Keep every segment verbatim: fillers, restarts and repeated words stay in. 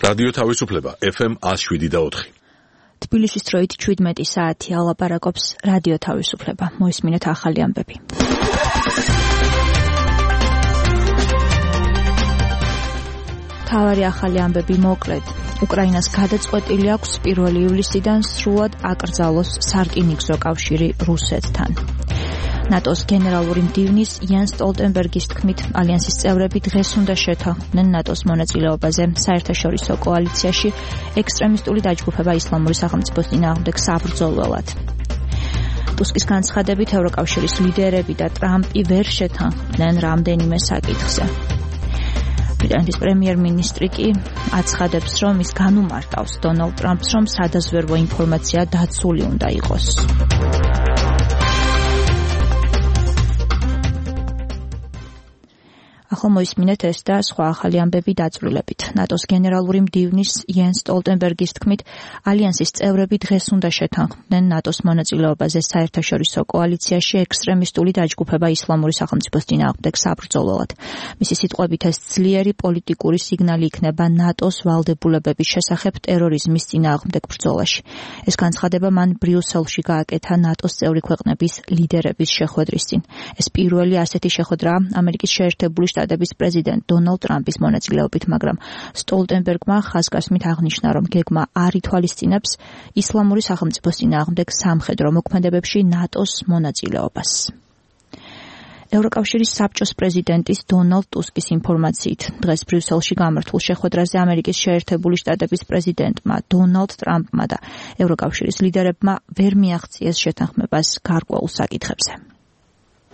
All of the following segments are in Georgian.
რადიო თავისუფლება ეფ ემ one oh seven და four. თბილისის დროით seventeen საათი ალაპარაკობს რადიო თავისუფლება. მოისმინეთ ახალი ამბები. თავარი ახალი ამბები მოკლედ. უკრაინას გადაწყვეტილი აქვს პირველი ივლისიდან სრულად აკრძალოს სარკინიგზო კავშირი რუსეთთან. ნატოს გენერალური მდივნის იან სტოლტენბერგის თქმით, ალიანსის წევრები დღეს უნდა შეთანხმდნენ ნატოს მონაწილეობაზე საერთაშორისო კოალიციაში ექსტრემისტული დაჯგუფება ისლამური სახელმწიფოს წინააღმდეგ საბრძოლველად. ტუსკის განცხადებით, ევროკავშირის ლიდერები და ტრამპი ვერ შეთანხმდნენ რამდენიმე საკითხზე. ბრიტანეთის პრემიერ-მინისტრი კი აცხადებს, რომ ის განუმარტავს დონალდ ტრამპს, რომ სადაზვერვო ინფორმაცია დაცული უნდა იყოს. ახლა მოისმინეთ ეს და სხვა ახალი ამბები დაწვრილებით. ნატოს გენერალური მდივნის იან სტოლტენბერგის თქმით, ალიანსის წევრები დღეს უნდა შეთანხმდნენ ნატოს მონაწილეობაზე საერთაშორისო კოალიციაში ექსტრემისტული დაჯგუფება ისლამური სახელმწიფოს წინააღმდეგ საბრძოლველად. მისი სიტყვებით, ეს ძლიერი პოლიტიკური სიგნალი იქნება ნატოს ვალდებულებების შესახებ ტერორიზმის წინააღმდეგ ბრძოლაში. ეს განცხადება მან ბრიუსელში გააკეთა ნატოს წევრი ქვეყნების ლიდერების შეხვედრის წინ. ეს პირველი ასეთი შეხვედრაა ამერიკის შეერთებული შტატების პრეზიდენტ დონალდ ტრამპის მონაწილეობით, მაგრამ სტოლტენბერგმა ხაზგასმით აღნიშნა, რომ გეგმა არ ითვალისწინებს ისლამური სახელმწიფოს წინააღმდეგ სამხედრო მოქმედებებში ნატოს მონაწილეობას. ევროკავშირის საბჭოს პრეზიდენტის დონალდ ტუსკის ინფორმაციით, დღეს ბრიუსელში გამართულ შეხვედრაზე ამერიკის შეერთებული შტატების პრეზიდენტმა დონალდ ტრამპმა და ევროკავშირის ლიდერებმა ვერ მიაღწიეს შეთანხმებას გარკვეულ საკითხებზე.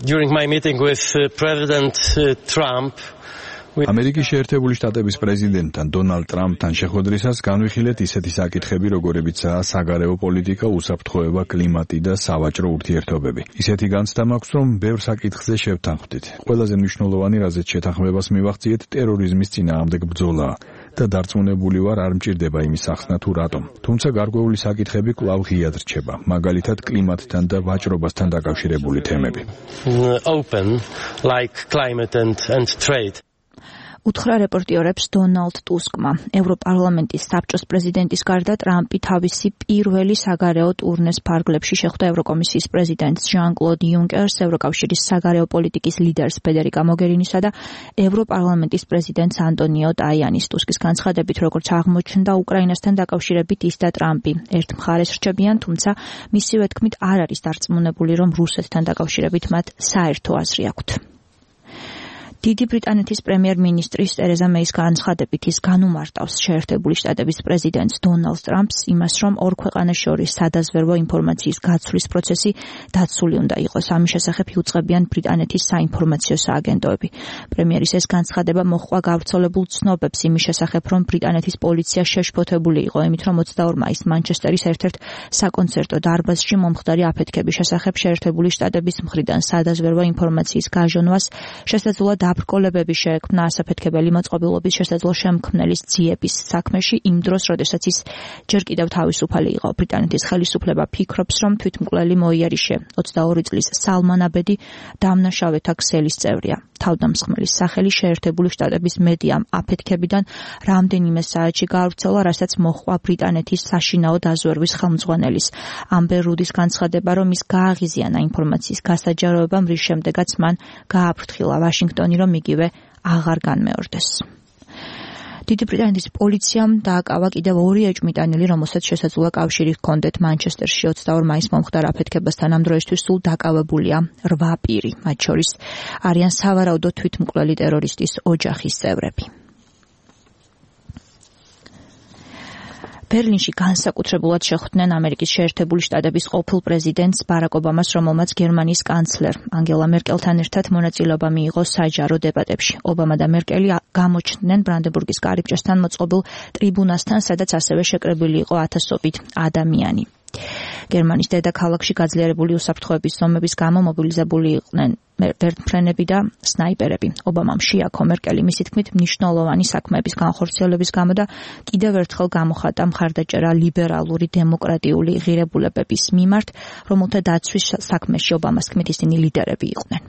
During my meeting with uh, President uh, Trump, ამერიკის შეერთებული შტატების პრეზიდენტთან დონალდ ტრამპთან შეხვედრისას განვიხილეთ ისეთი საკითხები, როგორებიცაა საგარეო პოლიტიკა, უსაფრთხოება, კლიმატი და სავაჭრო ურთიერთობები. ისეთი განცდა მაქვს, რომ ბევრ საკითხზე შევთანხმდით. ყველაზე მნიშვნელოვანი, რაზეც შეთანხმებას მივახციეთ, ტერორიზმის წინააღმდეგ ბრძოლაა და დარწმუნებული ვარ, არ მჭირდება იმის ახსნა თუ რატომ. თუმცა გარკვეული საკითხები კვლავ ღიად რჩება, მაგალითად კლიმატთან და ვაჭრობასთან დაკავშირებული თემები. Open like climate and and trade. უთხრა რეპორტიორებს დონალდ ტუსკმა. ევროპარლამენტის საბჭოს პრეზიდენტის გარდა ტრამპი თავისი პირველი საგარეო ტურნეს ფარგლებში შეხვდა ევროკომისიის პრეზიდენტს ჟან-კლოდ იუნკერს, ევროკავშირის საგარეო პოლიტიკის ლიდერს ფედერიკა მოგერინისა და ევროპარლამენტის პრეზიდენტს ანტონიო ტაიანის. ტუსკის განცხადებით, როგორც აღმოჩნდა, უკრაინასთან დაკავშირებით ის და ტრამპი ერთ მხარეს რჩებიან, თუმცა მისივე თქმით არ არის დარწმუნებული, რომ რუსეთთან დაკავშირებით მათ საერთო აზრი აქვთ. დიდი ბრიტანეთის პრემიერ-მინისტრის ტერეზა მეის განცხადებით ის განუმარტავს შეერთებული შტატების პრეზიდენტს დონალდ ტრამპს იმას, რომ ორ ქვეყანას შორის სადაზვერვო ინფორმაციის გაცვლის პროცესი დაცული უნდა იყოს. ამის შესახებ იუწყებიან ბრიტანეთის საინფორმაციო სააგენტოები. პრემიერის ეს განცხადება მოჰყვა გავრცელებულ ცნობებს იმის შესახებ, რომ ბრიტანეთის პოლიცია შეშფოთებული იყო იმით, რომ ოცდაორ მაისს მანჩესტერის ერთ-ერთ საკონცერტო დარბაზში მომხდარი აფეთქების შესახებ შეერთებული შტატების მხრიდან სადაზვერვო ინფორმაციის გაჟონვას შესაძლოა დაბრკოლებები შეექმნა ასაფეთქებელი მოწყობილობის შესაძლო შემქმნელის ძიების საქმეში იმ დროს, როდესაც ის ჯერ კიდევ თავისუფალი იყო. ბრიტანეთის ხელისუფლება ფიქრობს, რომ თვითმკვლელი მოიარიშე ოცდაორი წლის სალმან აბედი დამნაშავეთა ქსელის წევრია. თავდამსხმელის სახელი შეერთებული შტატების მედიამ აფეთქებიდან რამდენიმე საათში გაავრცელა, რასაც მოჰყვა ბრიტანეთის საშინაო დაზვერვის ხელმძღვანელის ამბერ რუდის განცხადება, რომ ის გააღიზიანა ინფორმაციის გასაჯაროებამ, რის შემდეგაც მან გააფრთხილა ვაშინგტონი, რომ იგივე აღარ განმეორდეს. დიდი ბრიტანეთის პოლიციამ დააკავა კიდევ ორი ეჭვმიტანილი, რომელსაც შესაძლოა კავშირი ჰქონდეთ მანჩესტერში ოცდაორ მაისს მომხდარ აფეთქებასთან. ამ დროისთვის სულ დაკავებულია რვა პირი, მათ შორის არიან სავარაუდო თვითმკვლელი ტერორისტის ოჯახის წევრები. ბერლინში განსაკუთრებულად შეხვდნენ ამერიკის შეერთებული შტატების ყოფილ პრეზიდენტს ბარაკ ობამას, რომელმაც გერმანიის კანცლერ ანგელა მერკელთან ერთად მონაწილეობა მიიღო საჯარო დებატებში. ობამა და მერკელი გამოჩნდნენ ბრანდენბურგის კარიბჭესთან მოწყობილ ტრიბუნასთან, სადაც ასევე შეკრებილი იყო ათასობით ადამიანი. გერმანიის დედაქალაქში გაძლიერებული უსაფრთხოების ზომების გამო მობილიზებული იყვნენ ვერტმფრენები და სნაიპერები. ობამამ შეაქო მერკელი მისი თქმით მნიშვნელოვანი საქმეების განხორციელების გამო და კიდევ ერთხელ გამოხატა მხარდაჭერა ლიბერალური დემოკრატიული ღირებულებების მიმართ, რომელთა დაცვის საქმეში ობამას თქმით ისინი ლიდერები იყვნენ.